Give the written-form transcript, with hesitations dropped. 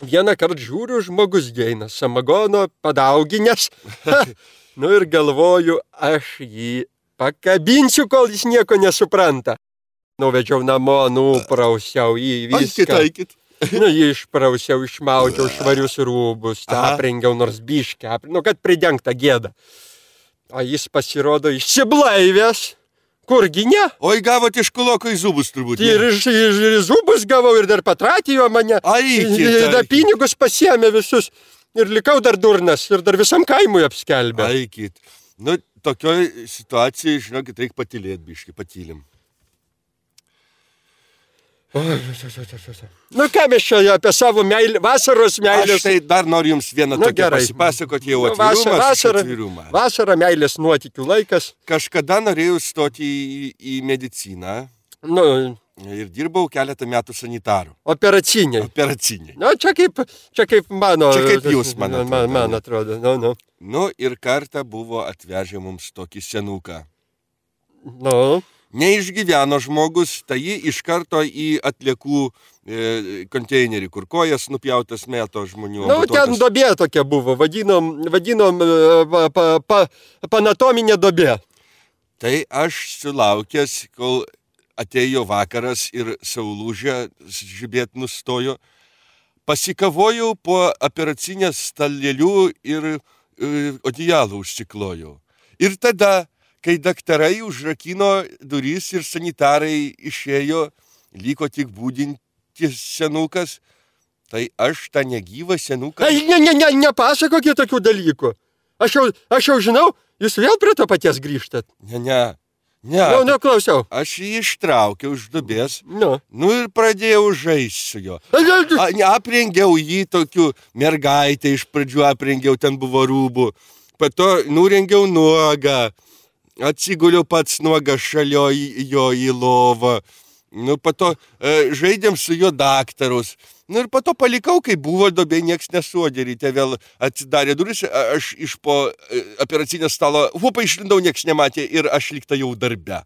vieną kartą žiūriu, žmogus eina, samagono padauginęs. Nu ir galvoju, aš jį pakabinsiu, kol jis nieko nesupranta. Nuvedžiau namo, nuprausiau jį viską. Aikit. Nu, jį išprausiau, išmaudžiau švarius rūbus, tą aprengiau nors biškę, kad pridengta gėda. O jis pasirodo išsiblaivęs. Kurgi ne? Oi, gavot iš kuloko į zubus turbūt. Ir iš zubus gavau ir dar patratijo mane. Da pinigus pasiėmė visus. Ir likau dar durnas. Ir dar visam kaimui apskelbė. Aikit. Nu, tokioj situacijai, žinokit, reikia patylėt biškį, patylim. Nu, ką mes čia apie savo vasaros meilės. Aš tai dar noriu jums vieną tokią pasipasakoti jau atvirumą. Vasara meilės nuotykių laikas. Kažkada norėjau stoti į mediciną. Nu, ir dirbau keletą metų sanitaru. Operaciniai. Nu, čia kaip mano. Čia kaip jūs, man atrodo. Man atrodo, Nu, ir kartą buvo atvežę mums tokį senuką. Nu. Neišgyveno žmogus, tai jį iš karto į atliekų konteinerį, kur kojas nupjautas meto žmonių. Nu, ten dobė tokia buvo, vadinom panatominė dobė. Tai aš sulaukęs, kol atėjo vakaras ir saulūžė žibėt nustojo, pasikavojau po operacinės stalėlių ir odijalų užsiklojau. Ir tada, kai daktarai užrakino duris ir sanitarai išėjo, liko tik būdintis senukas, tai aš tą negyvą senuką... Nepasakokit tokių dalykų. Aš jau žinau, jūs vėl prie to paties grįžtat. Ne. Nu, klausiau. Aš jį ištraukiau iš dubės, nu ir pradėjau žaisti su juo. Aprengiau jį tokiu mergaitę, iš pradžių aprengiau, ten buvo rūbų. Po to nurengiau nuogą. Atsiguliau pats nuogas šalia jo į lovą. Nu, po to žaidėm su juo daktarus. Nu, ir po to palikau, kai buvo dobė, nieks nesuodė. Ryte vėl atsidarė duris, aš iš po operacinio stalo, išlindau, nieks nematė ir aš likta jau darbe.